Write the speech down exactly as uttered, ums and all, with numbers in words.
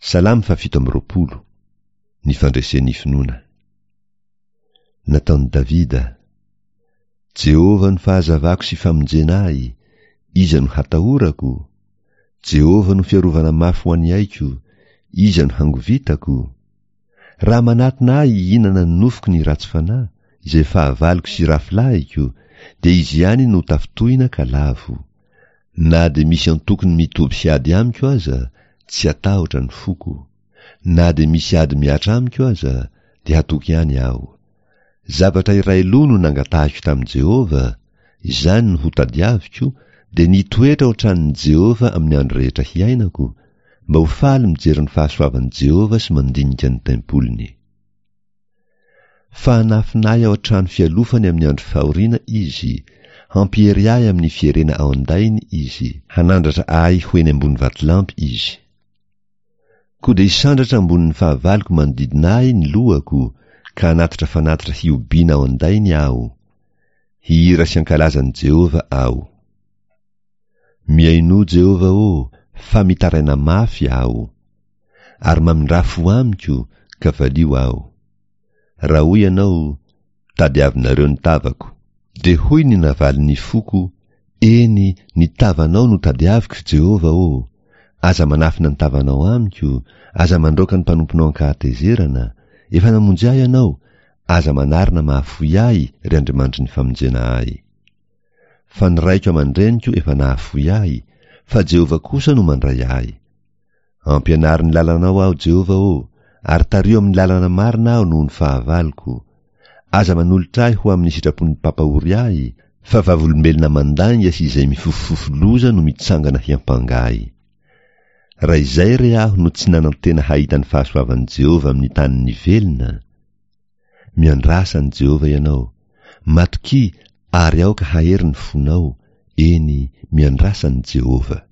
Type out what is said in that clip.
Salamo fahafito amby roapolo. Ny fandresen'ny finoana. Nataon'i Davida. Jehovah no fahazavako sy famonjena ahy, iza no hatahorako? Jehovah no fiarovana mafy ho an'ny aiko, iza no hangovitako? Raha manatona ahy hihinana ny nofoko ny ratsy fanahy, izay fahavaloko sy rafilahiko, dia izy ihany no tafintohina ka lavo. Na dia misy antokony mitoby hiady amiko aza, tsy hatahotra ny foko. Na dia misy ady mihatra amiko aza, dia hatoky ihany aho. Zavatra iray loha no nangatahiko tamin'i Jehovah, izany no hotadiaviko, dia nitoetra ao an-tranon'i Jehovah amin'ny andro rehetra hiainako, mba ho faly mijery ny fahasoavan'i Jehovah sy mandinika ny tempoliny. Fa hanafina ahy ao an-trano fialofany amin'ny andro fahoriana izy, hampiery ahy amin'ny fierena ao an-dainy izy, hanandratra ahy ho eny ambony vatolampy izy. Koa dia hisandratra ambonin'ny fahavaloko manodidina ahy ny lohako, ka hanatitra fanatitra hihobiana ao an-dainy aho. Hihira sy hankalaza an'i Jehovah aho. Mihainoa Jehovah ô, fa mitaraina mafy aho. Ary mamindrà fo amiko, ka valio aho. Raha hoy ianao, tadiavinareo ny tavako. Dia hoy ny navalin'ny foko, eny, ny tavanao no tadiaviko, Jehovah ô. Aza manafina ny tavanao amiko, aza mandroaka ny mpanomponao an-kahatezerana. Efa namonjy ahy ianao, aza manarina mahafoy ahy, ry Andriamanitry ny famonjena ahy. Fa ny raiko aman-dreniko efa nahafoy ahy, fa Jehovah kosa no mandray ahy. Ampianaro ny lalanao aho, Jehovah ô, ary tariho amin'ny lalana marina aho noho ny fahavaloko. Aza manolotra ahy ho amin'ny sitrapon'ny mpampahory ahy, fa vavolombelona mandainga sy izay mifofofofo loza no mitsangana hiampanga ahy. Raha izay re aho no tsy nanantena hahita ny fahasoavan'i Jehovah amin'ny tanin'ny velona. Miandrasa an'i Jehovah ianao, matokia ary aoka hahery ny fonao, eny, miandrasa an'i Jehovah.